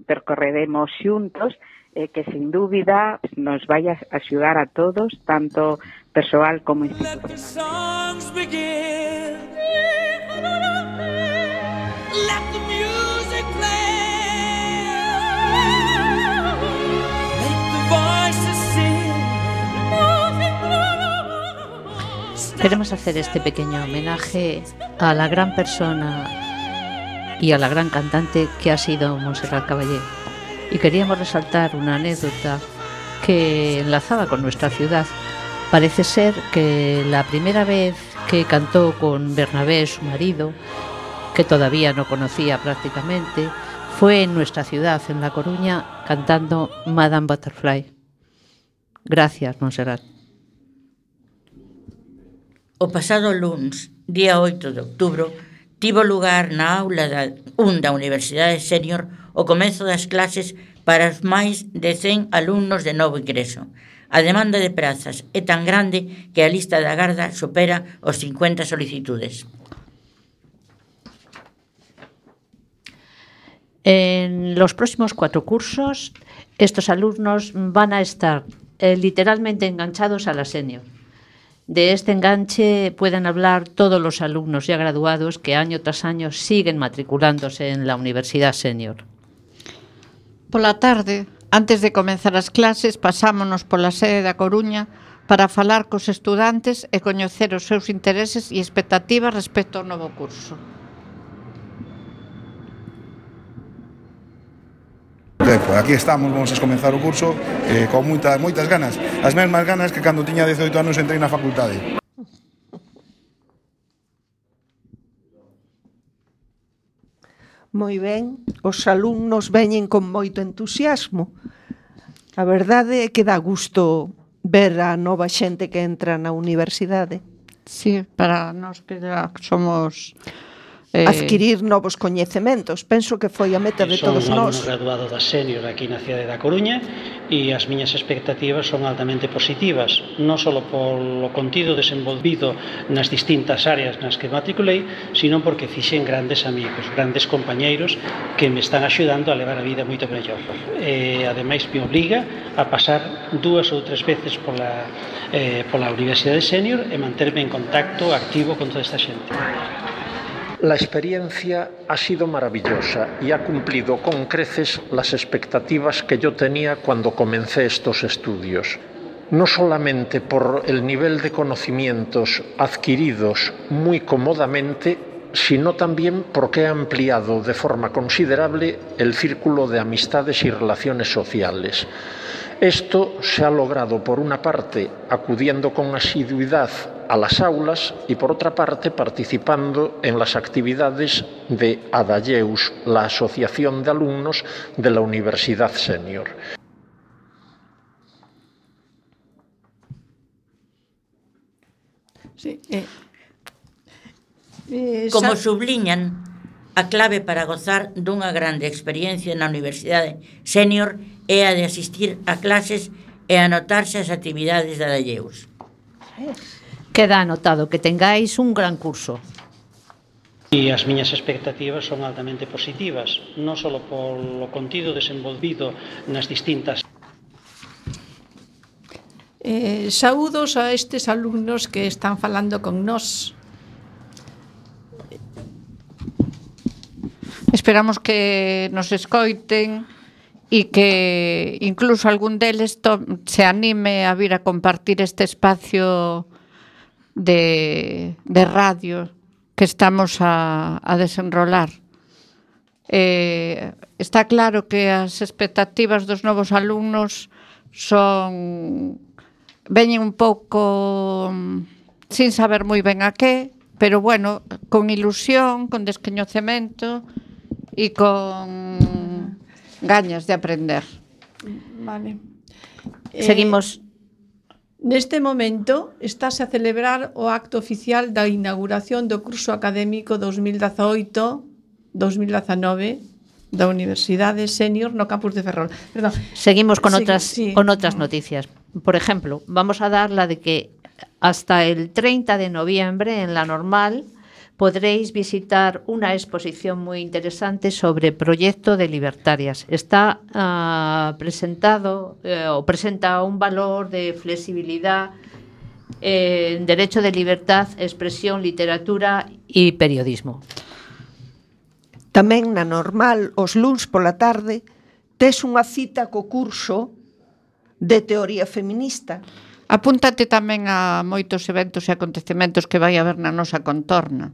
percorreremos xuntos, eh, que sin dúbida nos vai a axudar a todos, tanto persoal como institucional. Queremos hacer este pequeño homenaje a la gran persona y a la gran cantante que ha sido Montserrat Caballé. Y queríamos resaltar una anécdota que enlazaba con nuestra ciudad. Parece ser que la primera vez que cantó con Bernabé, su marido, que todavía no conocía prácticamente, fue en nuestra ciudad, en La Coruña, cantando Madame Butterfly. Gracias, Montserrat. O pasado luns, día oito de outubro, tivo lugar na aula da, un da Universidade Senior o comezo das clases para os máis de cen alumnos de novo ingreso. A demanda de prazas é tan grande que a lista de agarda supera os cincuenta solicitudes. En los próximos cuatro cursos, estos alumnos van a estar eh, literalmente enganchados a la senior. De este enganche pueden hablar todos los alumnos ya graduados que año tras año siguen matriculándose en la Universidad Senior. Pola tarde, antes de comenzar as clases, pasámonos pola sede da Coruña para falar cos estudantes e coñecer os seus intereses e expectativas respecto ao novo curso. Aquí estamos, vamos a comenzar o curso eh, con moitas, moitas ganas, as mesmas ganas que cando tiña dezoito anos entrei na facultade. Moi ben, os alumnos veñen con moito entusiasmo. A verdade é que dá gusto ver a nova xente que entra na universidade. Sí, para nós que somos... Eh... adquirir novos coñecementos. Penso que foi a meta de todos nós. Son un graduado da Senior aquí na cidade da Coruña e as miñas expectativas son altamente positivas, non só polo contido desenvolvido nas distintas áreas nas que matriculei, sino porque fixen grandes amigos, grandes compañeiros que me están axudando a levar a vida moito mellor. E, ademais, me obriga a pasar dúas ou tres veces pola, eh, pola Universidade Senior e manterme en contacto activo con toda esta xente. La experiencia ha sido maravillosa y ha cumplido con creces las expectativas que yo tenía cuando comencé estos estudios. No solamente por el nivel de conocimientos adquiridos muy cómodamente, sino también porque ha ampliado de forma considerable el círculo de amistades y relaciones sociales. Esto se ha logrado, por una parte, acudiendo con asiduidad a las aulas y, por otra parte, participando en las actividades de ADALLEUS, la Asociación de Alumnos de la Universidad Senior. Sí, eh, eh, Como subliñan, a clave para gozar dunha grande experiencia na Universidade Senior é a de asistir a clases e anotarse as actividades de ADALLEUS. Queda anotado que tengáis un gran curso. E as miñas expectativas son altamente positivas, non só polo contido desenvolvido nas distintas... Eh, saúdos a estes alumnos que están falando con nós. Esperamos que nos escoiten e que incluso algún deles se anime a vir a compartir este espacio de, de radio que estamos a, a desenrolar. Eh, está claro que as expectativas dos novos alumnos son veñen un pouco sin saber moi ben a que, pero bueno, con ilusión, con descoñecemento e con gañas de aprender. Vale. Seguimos. Eh, neste momento estáse a celebrar o acto oficial da inauguración do curso académico dos mil dezaoito dos mil dezanove da Universidade Senior no campus de Ferrol. Perdón. Seguimos con sí, otras sí. con otras noticias. Por ejemplo, vamos a dar la de que hasta el treinta de noviembre en la Normal podréis visitar una exposición muy interesante sobre proyecto de libertarias. Está uh, presentado eh, o presenta un valor de flexibilidad en eh, derecho de libertad, expresión, literatura y periodismo. Tamén na Normal, os luns pola tarde, tes unha cita co curso de teoría feminista. Apúntate tamén a moitos eventos e acontecementos que vai haber na nosa contorna.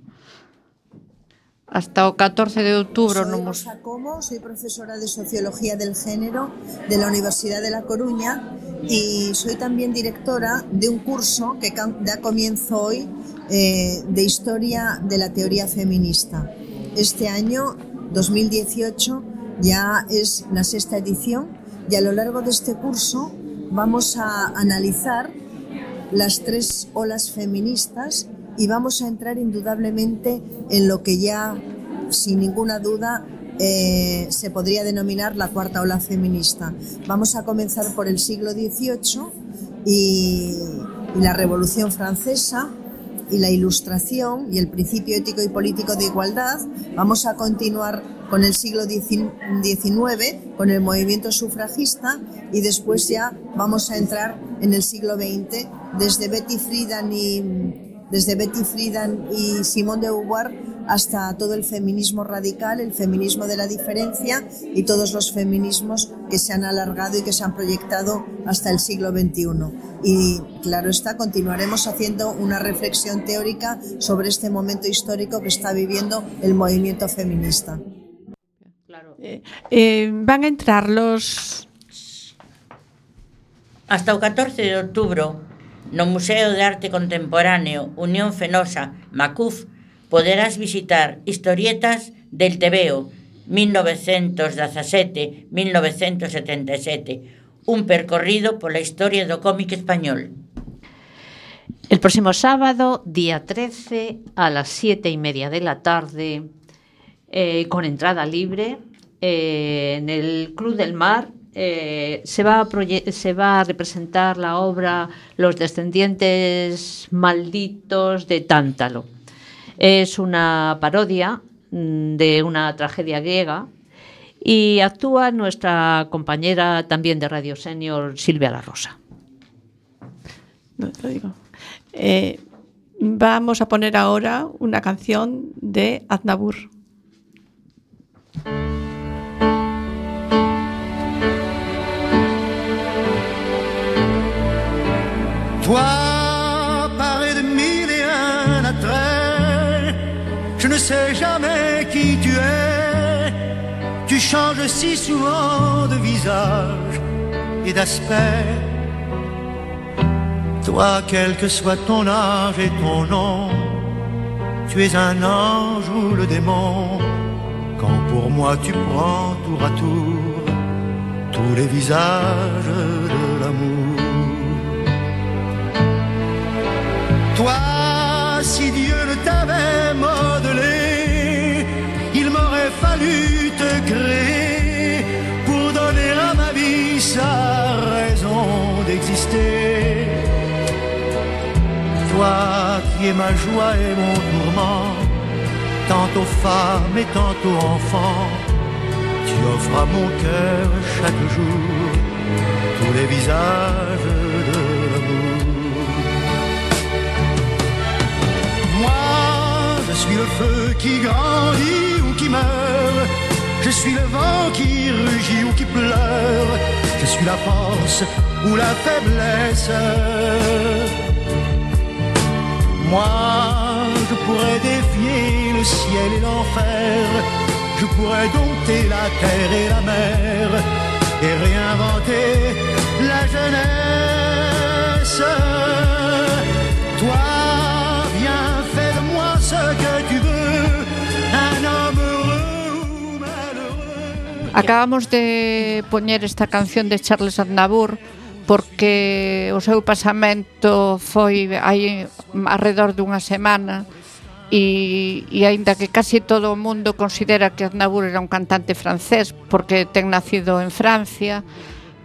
Hasta o catorce de outubro Soy no Rosa Como, soy profesora de Sociología del Género de la Universidad de La Coruña y soy también directora de un curso que da comienzo hoy eh, de Historia de la Teoría Feminista. Este año, dos mil dieciocho, ya es la sexta edición y a lo largo de este curso vamos a analizar las tres olas feministas y vamos a entrar indudablemente en lo que ya, sin ninguna duda, eh, se podría denominar la cuarta ola feminista. Vamos a comenzar por el siglo dieciocho y, y la Revolución Francesa y la Ilustración y el principio ético y político de igualdad. Vamos a continuar con el siglo diecinueve, con el movimiento sufragista, y después ya vamos a entrar en el siglo veinte, desde Betty Friedan y, desde Betty Friedan y Simone de Beauvoir hasta todo el feminismo radical, el feminismo de la diferencia y todos los feminismos que se han alargado y que se han proyectado hasta el siglo veintiuno. Y claro está, continuaremos haciendo una reflexión teórica sobre este momento histórico que está viviendo el movimiento feminista. Eh, eh, van a entrar los... Hasta o catorce de outubro, no Museo de Arte Contemporáneo Unión Fenosa Macuf, poderás visitar historietas del Tebeo mil novecientos dezasete a mil novecientos setenta e sete, un percorrido pola historia do cómic español. El próximo sábado, día trece, a las siete y media de la tarde, eh, con entrada libre, eh, en el Club del Mar, eh, se, va a se va a representar la obra Los descendientes malditos de Tántalo. Es una parodia de una tragedia griega y actúa nuestra compañera también de Radio Senior, Silvia La Rosa. No te lo digo. Eh, vamos a poner ahora una canción de Aznavour. Toi, paré de mille et un attraits, je ne sais jamais qui tu es. Tu changes si souvent de visage et d'aspect. Toi, quel que soit ton âge et ton nom, tu es un ange ou le démon. Quand pour moi tu prends tour à tour tous les visages de l'amour. Toi, si Dieu ne t'avait modelé, il m'aurait fallu te créer pour donner à ma vie sa raison d'exister. Toi qui es ma joie et mon tourment, tantôt femme et tantôt enfant, tu offres à mon cœur chaque jour tous les visages de l'amour. Moi, je suis le feu qui grandit ou qui meurt, je suis le vent qui rugit ou qui pleure, je suis la force ou la faiblesse. Moi, je pourrais défier le ciel et l'enfer, je pourrais dompter la terre et la mer et réinventer la jeunesse. Toi, viens, fais de moi ce que tu veux, un homme heureux ou malheureux. Acabamos de poñer esta canción de Charles Aznavour porque o seu pasamento foi hai alrededor dunha semana e, e aínda que casi todo o mundo considera que Aznavour era un cantante francés porque ten nacido en Francia,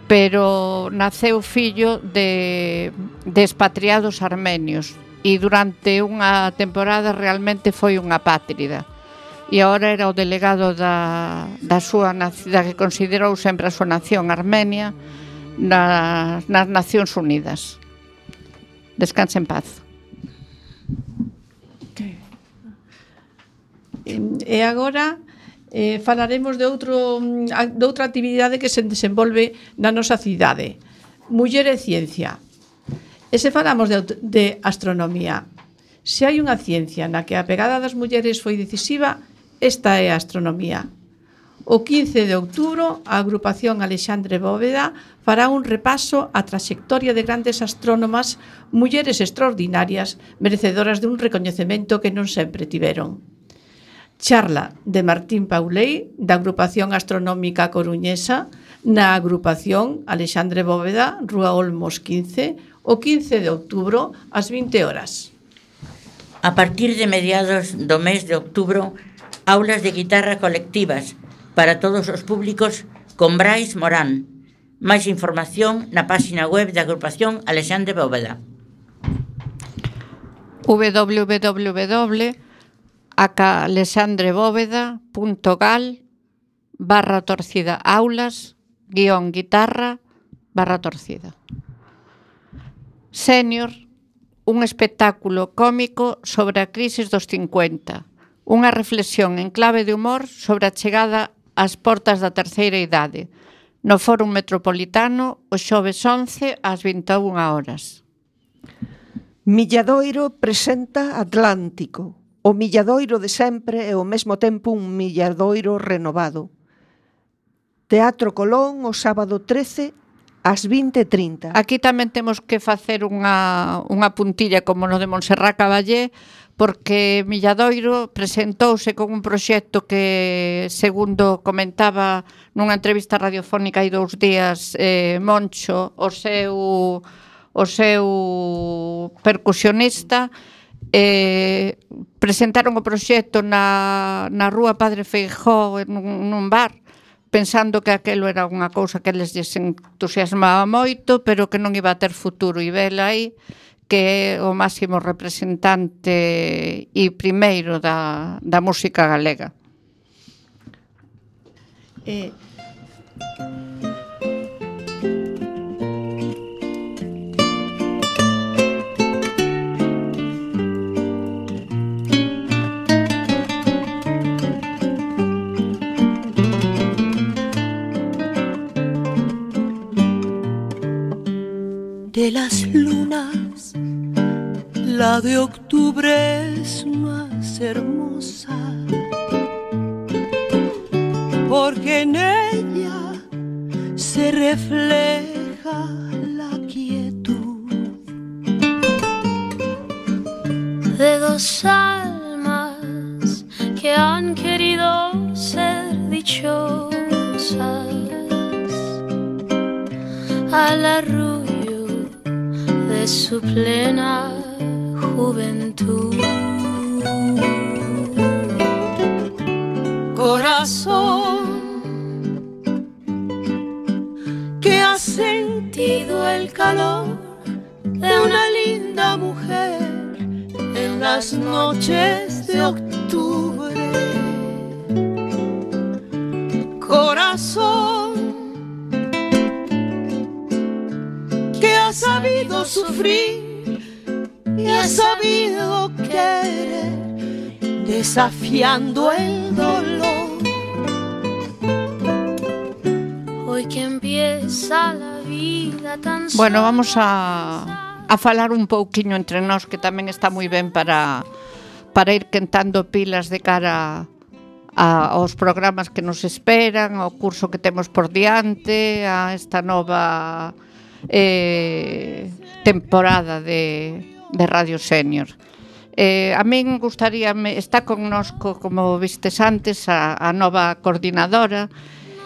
pero naceu fillo de, de expatriados armenios e durante unha temporada realmente foi unha apátrida e agora era o delegado da, da súa da que considerou sempre a súa nación, Armenia, nas, nas Nacións Unidas. Descanse en paz. Okay. E agora eh, falaremos de, outro, de outra actividade que se desenvolve na nosa cidade. Muller e ciencia. E se falamos de, de astronomía, se hai unha ciencia na que a pegada das mulleres foi decisiva, esta é a astronomía. O quince de outubro, a agrupación Alexandre Bóveda fará un repaso á traxectoria de grandes astrónomas, mulleres extraordinarias, merecedoras de un recoñecemento que non sempre tiveron. Charla de Martín Pauley, da agrupación astronómica coruñesa, na agrupación Alexandre Bóveda, Rúa Olmos quince, o quince de outubro, ás vinte horas. A partir de mediados do mes de outubro, aulas de guitarra colectivas para todos os públicos con Brais Morán. Máis información na página web da agrupación Alexandre Bóveda. www alexandrebóveda.gal barra torcida aulas guión guitarra barra torcida. Senior, un espectáculo cómico sobre a crisis dos cincuenta, unha reflexión en clave de humor sobre a chegada ás portas da terceira idade, no Fórum Metropolitano o xoves once ás vinte e unha horas. Milladoiro presenta Atlántico, o milladoiro de sempre e ao mesmo tempo un milladoiro renovado. Teatro Colón o sábado trece ás vinte e trinta. Aquí tamén temos que facer unha, unha puntilla como no de Montserrat Caballé, porque Milladoiro presentouse con un proxecto que, segundo comentaba nunha entrevista radiofónica hai dous días, eh, Moncho, o seu, o seu percusionista, eh, presentaron o proxecto na, na rúa Padre Feijóo nun, nun bar, pensando que aquelo era unha cousa que les entusiasmaba moito, pero que non iba a ter futuro, e vela aí que é o máximo representante e primeiro da, da música galega. Eh... De las lunas, la de octubre es más hermosa, porque en ella se refleja la quietud de dos almas que han querido ser dichosas al arrullo de su plena juventud. Corazón que ha sentido el calor de una linda mujer en las noches de octubre. Corazón que ha sabido sufrir y ha sabido querer, desafiando el dolor. Hoy que empieza la vida tan sola. Bueno, vamos a, a falar un pouquiño entre nós, que tamén está moi ben para, para ir quentando pilas de cara a, aos programas que nos esperan, ao curso que temos por diante, a esta nova eh, temporada de, de Radio Senior. Eh, a min gustaríame, está connosco, como vistes antes, a, a nova coordinadora,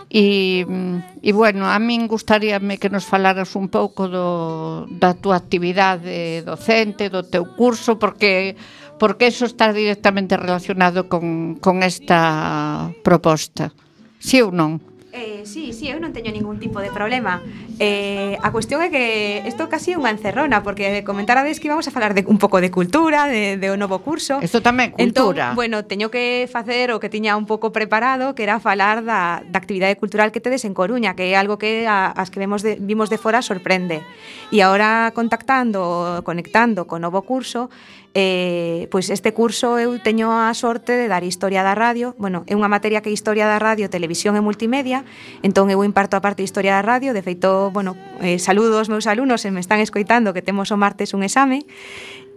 e, e bueno, a min gustaríame que nos falaras un pouco do, da túa actividade docente, do teu curso, porque porque eso está directamente relacionado con, con esta proposta. Si ou non? Eh, sí, sí, eu non teño ningún tipo de problema. Eh, a cuestión é que isto casi é unha encerrona, porque comentarades que íbamos a falar de un pouco de cultura, de, de un novo curso. Isto tamén, cultura. Entón, bueno, teño que facer o que tiña un pouco preparado, que era falar da, da actividade cultural que tedes en Coruña, que é algo que a, as que vemos de, vimos de fora sorprende. E agora contactando, conectando co novo curso, Eh, pois este curso eu teño a sorte de dar Historia da Radio. Bueno, é unha materia que é Historia da Radio, Televisión e Multimedia. Entón eu imparto a parte de Historia da Radio. De feito, bueno, eh, saludo aos meus alumnos se me están escoitando, que temos o martes un exame.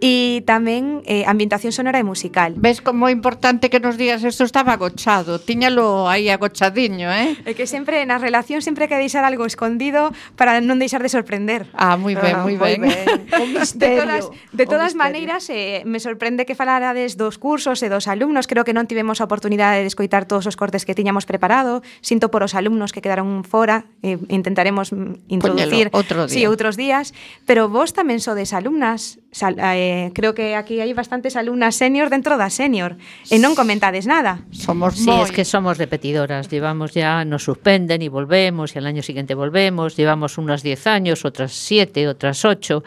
E tamén eh, ambientación sonora e musical. Ves como é importante que nos digas isto estaba agochado, tiñalo aí agochadiño, eh? É que sempre na relación sempre hai que deixar algo escondido para non deixar de sorprender. Ah, moi ben, ah, moi ben. ben. Un misterio. De todas, de todas misterio. maneiras, eh, me sorprende que falarades dos cursos e dos alumnos. Creo que non tivemos a oportunidade de escoitar todos os cortes que tiñamos preparado. Sinto por os alumnos que quedaron fora, eh, intentaremos introducir Poñelo, outro día. Sí, outros días, pero vos tamén sodes alumnas. sal, eh, creo que aquí hai bastantes alumnas senior dentro da senior e non comentades nada. Somos Sí, moi... es que somos repetidoras, llevamos ya, nos suspenden y volvemos, y al año siguiente volvemos, llevamos unas diez años, otras siete, otras ocho,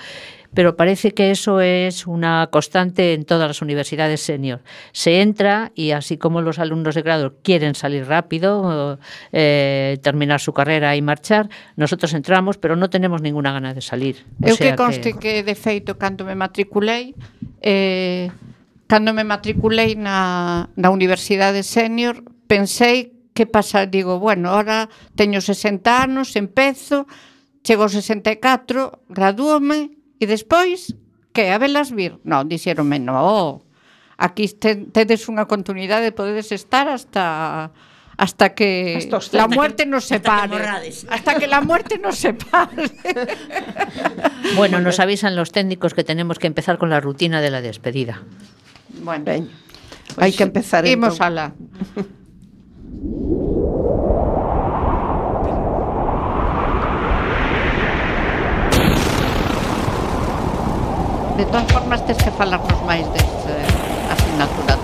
pero parece que eso es una constante en todas las universidades senior. Se entra y así como los alumnos de grado quieren salir rápido, eh, terminar su carrera y marchar, nosotros entramos, pero no tenemos ninguna gana de salir. O Eu sea que conste que... que, de feito, cando me matriculei, eh, cando me matriculei na, na Universidade Senior, pensei que pasa, digo, bueno, ahora teño sesenta anos, empezo, chego aos sesenta e catro, gradúome, e despois, que, a velas vir? Non, dixeronme, non, aquí te, tedes unha continuidade, podedes estar hasta hasta que hasta la muerte que, nos separe. Hasta que la muerte nos separe. Bueno, nos avisan los técnicos que tenemos que empezar con la rutina de la despedida. Bueno, ben, pues, hai que empezar imos entón. alá. De todas formas, tens que falarnos máis desta asignatura.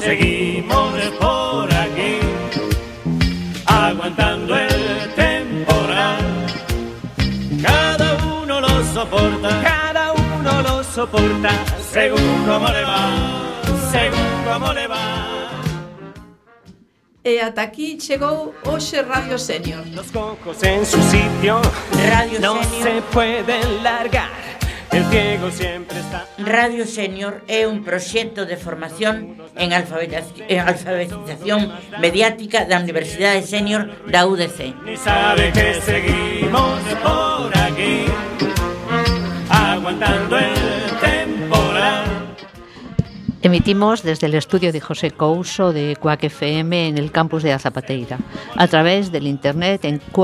Seguimos por aquí, aguantando el temporal. Cada uno lo soporta, cada uno lo soporta, según como le va. E ata aquí chegou hoxe Radio Senior. Los cocos en su sitio, Radio no Senior. se pueden largar. El ciego siempre está. Radio Senior é un proxecto de formación en alfabetización, en alfabetización mediática da Universidade Senior da U D C. Ni sabe que seguimos por aquí, aguantando el temporal. Emitimos desde el estudio de José Couso de Cuac F M en el campus de A Zapateira, a través del internet en